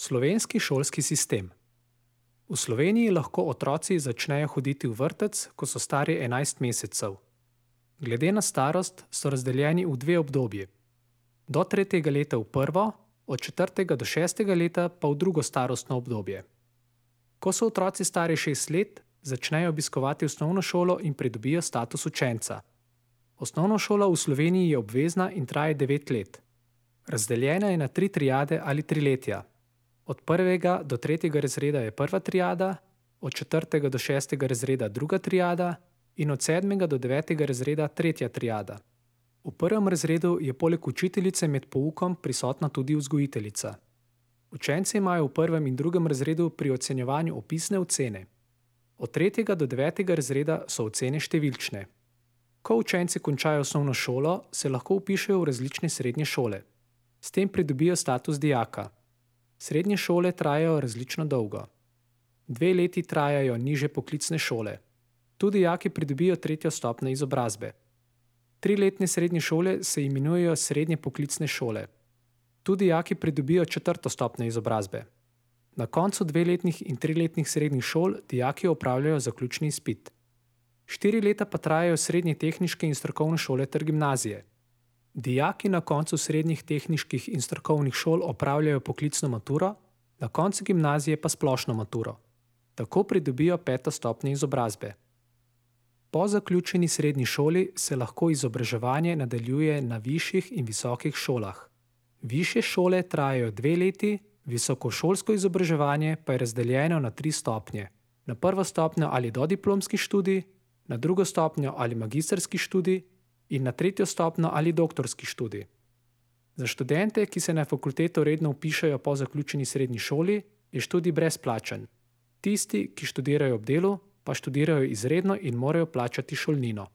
Slovenski šolski sistem. V Sloveniji lahko otroci začnejo hoditi v vrtec, ko so stari 11 mesecev. Glede na starost so razdeljeni v dve obdobji. Do 3. leta v prvo, od 4. do 6. leta pa v drugo starostno obdobje. Ko so otroci stari 6 let, začnejo obiskovati osnovno šolo in pridobijo status učenca. Osnovna šola v Sloveniji je obvezna in traja 9 let. Razdeljena je na 3 triade ali triletja. Od 1. do 3. razreda je prva triada, od 4. do 6. razreda druga triada in od 7. do 9. razreda tretja triada. V prvem razredu je poleg učiteljice med poukom prisotna tudi vzgojiteljica. Učenci imajo v prvem in drugem razredu pri ocenjevanju opisne ocene. Od 3. do 9. razreda so ocene številčne. Ko učenci končajo osnovno šolo, se lahko vpišejo v različne srednje šole. S tem pridobijo status dijaka. Srednje šole trajajo različno dolgo. 2 leti trajajo nižje poklicne šole. Tu dijaki pridobijo 3. stopnjo izobrazbe. 3-letne srednje šole se imenujejo srednje poklicne šole. Tu dijaki pridobijo 4. stopnjo izobrazbe. Na koncu 2-letnih in 3-letnih srednjih šol dijaki opravljajo zaključni izpit. 4 leta pa trajajo srednje tehniške in strokovne šole ter gimnazije. Dijaki na koncu srednjih tehniških in strokovnih šol opravljajo poklicno maturo, na koncu gimnazije pa splošno maturo. Tako pridobijo 5. stopnjo izobrazbe. Po zaključeni srednji šoli se lahko izobraževanje nadaljuje na višjih in visokih šolah. Višje šole trajajo 2 leti, visokošolsko izobraževanje pa je razdeljeno na 3 stopnje. Na prvo stopnjo ali dodiplomski študij, na drugo stopnjo ali magistrski študij in na 3. stopnjo ali doktorski študij. Za študente, ki se na fakulteto redno vpišejo po zaključeni srednji šoli, je študij brezplačen. Tisti, ki študirajo ob delu, pa študirajo izredno in morajo plačati šolnino.